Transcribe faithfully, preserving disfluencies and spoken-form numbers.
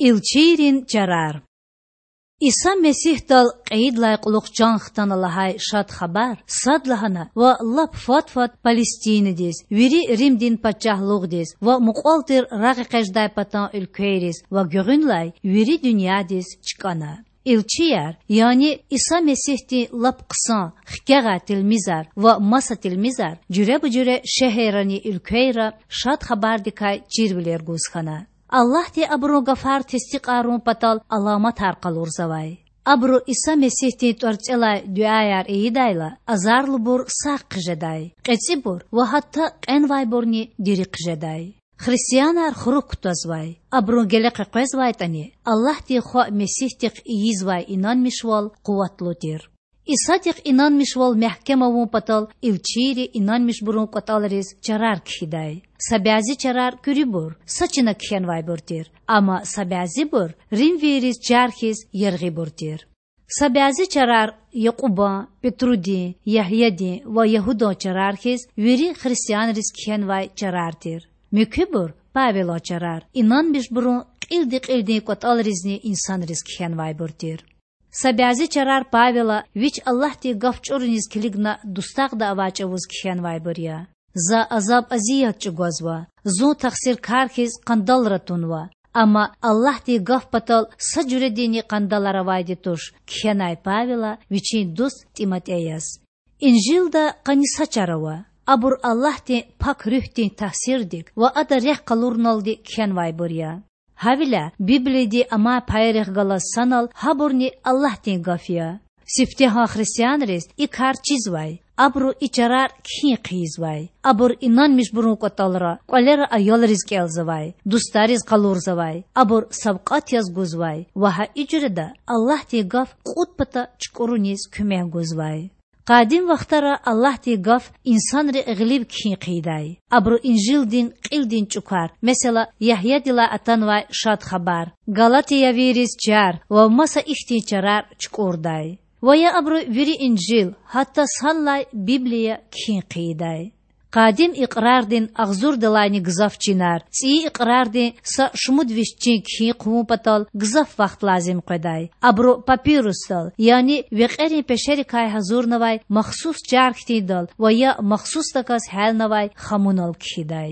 Илчийрин чарар. Иса Месигьдал кьейидалай кьулухъ чан хтана лагьай Шад Хабар садлагьана ва лап фад-фад Палестинадиз, вири Римдин пачагьлугъдиз ва мукьвал тир рагъэкъечІдай патан уьлквейриз ва гуьгъуьнлай вири дуьньядиз чкІана. Илчияр, яни Иса Месигьдин лап хъсан, хкягъай тилмизар ва маса тилмизар жуьреба-жуьре шегьеррани уьлквейра Шад Хабардикай чирвилер гуз хьана. Аллагьди абурун гафар тестикьарун патал аламатар къалурзавай. Абуру Иса Месигьдин тІварцІелай дуьаяр ийидайла, азарлубур сагъ хъжедай, кьецІибур ва гьатта кьенвайбурни дири хъжедай. Христианар хурук кутазвай, абурун геле къекъвезвайтІани, Аллагьдин Хва Месигьдихъ ийизвай инанмишвал къуватлу тир. Исадихъ инанмишвал мягькем авун патал илчийри инанмишбурун кІватІалриз чарар кхьидай. Са бязи чарар куьруьбур, са чина кхьенвайбур тир, амма са бязибур римвийриз чар хьиз яргъибур тир. Са бязи чарар Якьубан, Петрудин, Ягьядин ва Ягьудан чарар хьиз вири христианриз кхьенвай чарар тир. Муькуьбур, Павелан чарар, инанмишбурун кьилди-кьилдин кІватІалризни инсанриз кхьенвайбур тир. Са бязи чарар Павела вич Аллагьдин гаф чІуруниз килигна дустагъда авай чІавуз кхьенвайбур я. За азаб-азият чІугвазва, зун тахсиркар хьиз къандалра тунва, амма Аллагьдин гаф патал са жуьрединни къандалар авайди туш кхьенай Павела вичин дуст ТІиматІеяз. Инжилда къанни са чар ава. Абур Аллагьдин Пак Руьгьдин тасирдик ва ада рехъ къалуруналди кхьенвайбур я. Гьавиляй Библиядин амай пайрихъ галаз санал гьабурни Аллагьдин гаф я. Сифтегьан христианриз и кар чизвай, абуру и чарар кхьин хъийизвай. Абур инанмишбурун кІватІалра, кІвалера аялриз кІелзавай, дустариз къалурзавай, абур савкьват яз гузвай ва гьа и жуьреда Аллагьдин гаф кьуд пата чукІуруниз куьмек гузвай. Къадим вахтара Аллагьдин гаф инсанри гъилив кхьин хъийидай. Абуру Инжилдин кьилдин чІукар, месела, Ягьядилай атанвай Шад Хабар, Галатиявийриз чар ва маса ихьтин чарар чукІурдай. Ва я абуру вири Инжил, гьатта санлай Библия кхьин хъийидай. Къадим Икьрардин агъзурдалайни гзаф чинар, ЦІийи Икьрардин са шумуд виш чин кхьин хъувун патал гзаф вахт лазим къведай. Абуру папирусдал, яни векьерин пешерикай гьазурнавай махсус чар хьтиндал ва я махсусдаказ гьялнавай хамунал кхьидай.